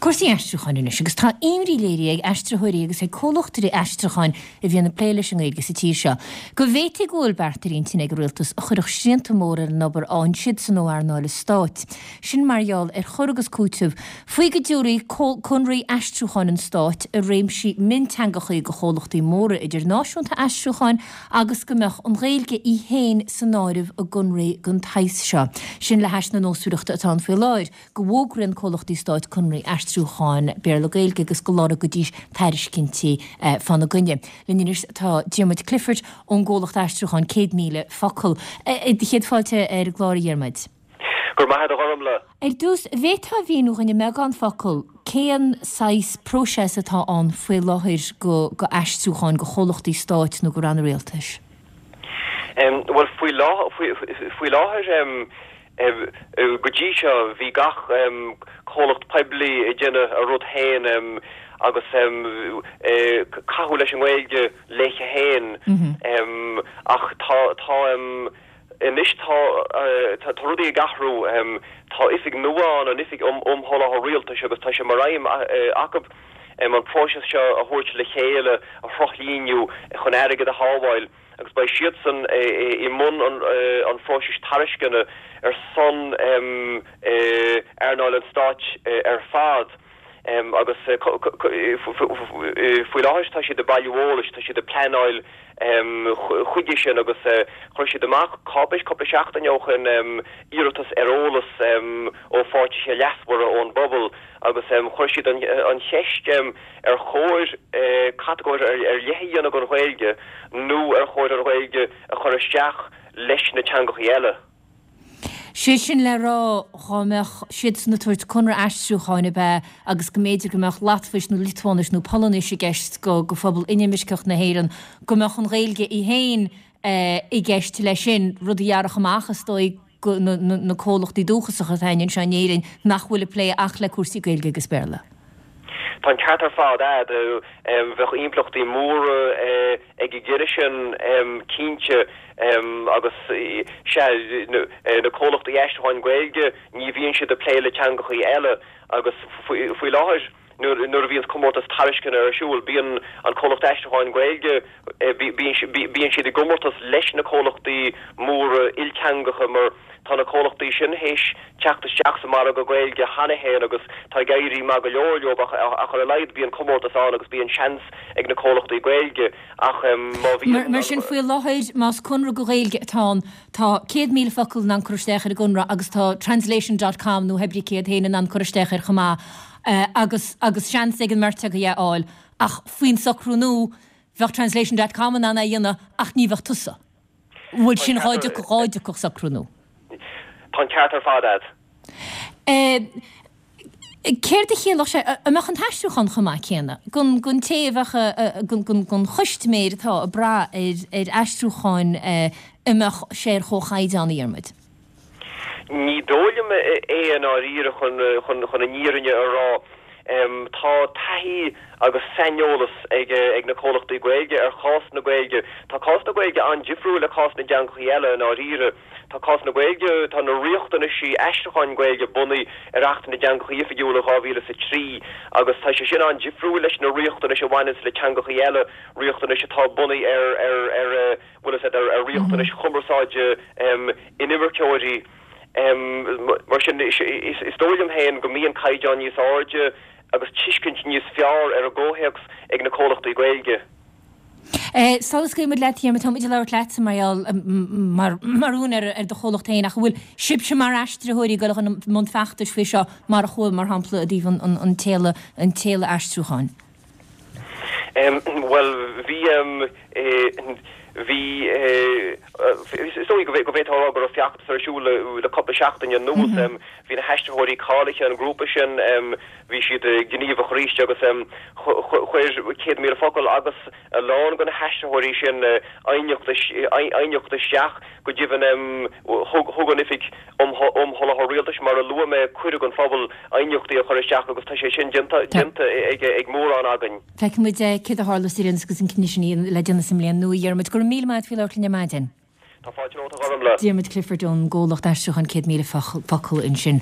Cúrsaí aistriúcháin anois, agus tá imní léirithe ag aistritheoirí agus ag comhlachtaí aistriúcháin a bhíonn ag plé leis an nGaeilge sa tír seo, go bhféadfaí go bhfuil beart ar intinn ag an Rialtas a chuirfeadh srianta móra ar an obair a fhaigheann siadsan ó earnáil an stáit. Sin mar gheall ar chur agus cúiteamh faoi go dtabharfaí conraí aistriúcháin an stáit i réimsí mionteangachaí go chomhlachtaí móra idirnáisiúnta aistriúcháin agus go mbeadh an Ghaeilge í féin san áireamh i gconraí den tsaghas seo. Sin le hais na nósmhaireachta atá ann faoi láthair. go bhfógraíonn comhlachtaí stáit conraí aistriúcháin Béarla-Gaeilge agus go lorgaídís tairiscintí fána gcoinne. Linn anois tá Diarmuid Clifford ón gcomhlacht aistriúcháin 100,000 Focal. Céad fáilte ar an gclár a Dhiarmuid. Go raibh maith agat a Ghormfhlaith. Ar dtús, an bhféadfá a mhíniú dhúinn i mbeagán focal cén saghas próiseas atá ann faoi láthair go go aistriúcháin go chomhlachtaí stáit nó go ranna rialtais? Bhuel, faoi láthair, Go dtí seo bhí gach comhlacht poiblí ag déanamh a rud féin agus caitheamh leis an nGaeilge léithe féin ach tá tá anois tá tá rudaí ag athrú. Tá oifig nua ann, an Oifig um um Sholáthar Rialtais agus tá sé mar aidhm acu an próiseas seo a thabhairt le chéile, a shruthlíniú chun airgead a shábháil. agus beidh siadsan i mbun an phróisis tairisceana ar son earnáil an stáit ar fad agus faoi láthair tá siad ag bailiú eolais, tá siad ag pleanáil chuige sin agus chuir siad amach cáipéis cúpla seachtain ó shin iarratas ar eolas ó pháirtithe leasmhara ón bpobal agus chuir siad an cheist ar chóir catagóir ar leith a dhéanamh don Ghaeilge nó ar chóir an Ghaeilge a chur isteach leis na teangachaí eile. Sé sin le rá, dhá mbeadh siadsan ag tabhairt conradh aistriúcháin ab ea agus go mb'fhéidir go mbeadh Latváis nó Liotuáinis nó Polainnis i gceist go phobal inimirceach na hÉireann, go mbeadh an Ghaeilge í féin i gceist leis sin, rud a ghearrfadh amach, is dóigh, go na comhlachtaí dúchasacha atá againn anseo in Éirinn nach bhfuil ag plé ach le cúrsaí Gaeilge agus Béarla. Tá an ceart ar fad a'd. Bheadh impleachtaí móra ag an gcinneadh sin cinnte agus sea, na comhlachtaí aistriúcháin Gaeilge ní bhíonn siad ag plé le teangachaí eile agus faoi láthair, Nuair a bhíonns comórtas tairisceana ar siúl, bíonn an comhlacht aistriúcháin Gaeilge, bíonn siad i gcomórtas leis na comhlachtaí móra ilteangacha mar tá na comhlachtaí sin théis teacht isteach sa margadh Gaeilge cheana féin agus tá ag éirí maith go leor leo ach ar a laghad bíonn comórtas ann agus bíonn seans ag na comhlachtaí Gaeilge ach má bhíonn. Mar sin, faoi láthair, más conradh go Ghaeilge atá ann, tá 100,000 focal in ann cur isteach ar an gconradh agus tá translation dot com nó pé ar bith cé hiad féin in ann cur isteach air chomh maith. agus agus seans ag an mbeirt acu é a fháil, ach faoin socrú nua, bheadh Translation dot com in ann é a dhéanamh ach ní bheadh tusa. Bhuel, sin dhá dtiocfadh, dhá dtiocfadh socrú nua. Tá an ceart ar fad a'd. Céard a chiallódh sé, an mbeadh an t-aistriúchán chomh maith céanna don don té a bheadh, don don chustaiméir atá ag brath ar ar aistriúcháin, an mbeadh sé ar chomhchaighdeán, a Dhiarmuid? Ní dóigh liom é i ndáiríre chun an fhírinne a rá. Tá taithí agus saineolas ag na comhlachtaí Gaeilge ar chás na Gaeilge. Tá cás na Gaeilge an-difriúil le cás na dteangachaí eile i ndáiríre. Tá cás na Gaeilge, tá na riachtanaisí aistriúcháin Gaeilge bunaithe ar Acht na dTeangachaí Oifigiúla 2003 agus tá sé sin an-difriúil leis na riachtanais a bhaineanns le teangachaí eile, riachtanais atá bunaithe ar ar bhfuil a fhios agat, ar riachtanais chumarsáide inimirceoirí. Mar sin, is dóigh liom féin go mbíonn caighdeán níos airde agus tuiscint níos fearr ar an gcomhthéacs ag na comhlachtaí Gaeilge. Sula scaoilfidh muid leat, Diarmuid, tá muid ag labhairt leatsa mar gheall, mar mar úinéir ar do chomhlacht féin, ach an bhfuil sibhse mar aistritheoirí ag dul i mbun feachtais faoi seo mar a chuaigh, mar shampla, i dtaobh an tséala, an tséala aistriúcháin? Bhuel, bhí, bhí, is dóigh go bhféadfá a rá go raibh feachtas ar siúl le cúpla seachtain anuas. Bhí na haistritheoirí cáilithe, an grúpa sin, bhí siad gníomhach arís agus chuir 100,000 Focal agus a lán de na haistritheoirí sin aighneacht, aighneacht isteach. Go deimhin, thug an Oifig um Sholáthar Rialtais, mar a luaigh mé, cuireadh don phobal aighneachtaí a chur isteach agus tá sé sin déanta ag mórán againn. Feicfidh muid céard a tharlós ar aon nós agus an cinneadh sin le déanamh sa mbliain nua. A Dhiarmuid, go raibh míle maith agat faoi labhairt linn ar maidin. Tá fáilte romhat, a Ghormfhlaith. Diarmuid Clifford ón gcomhlacht aistriúcháin 100,000 Focal ansin.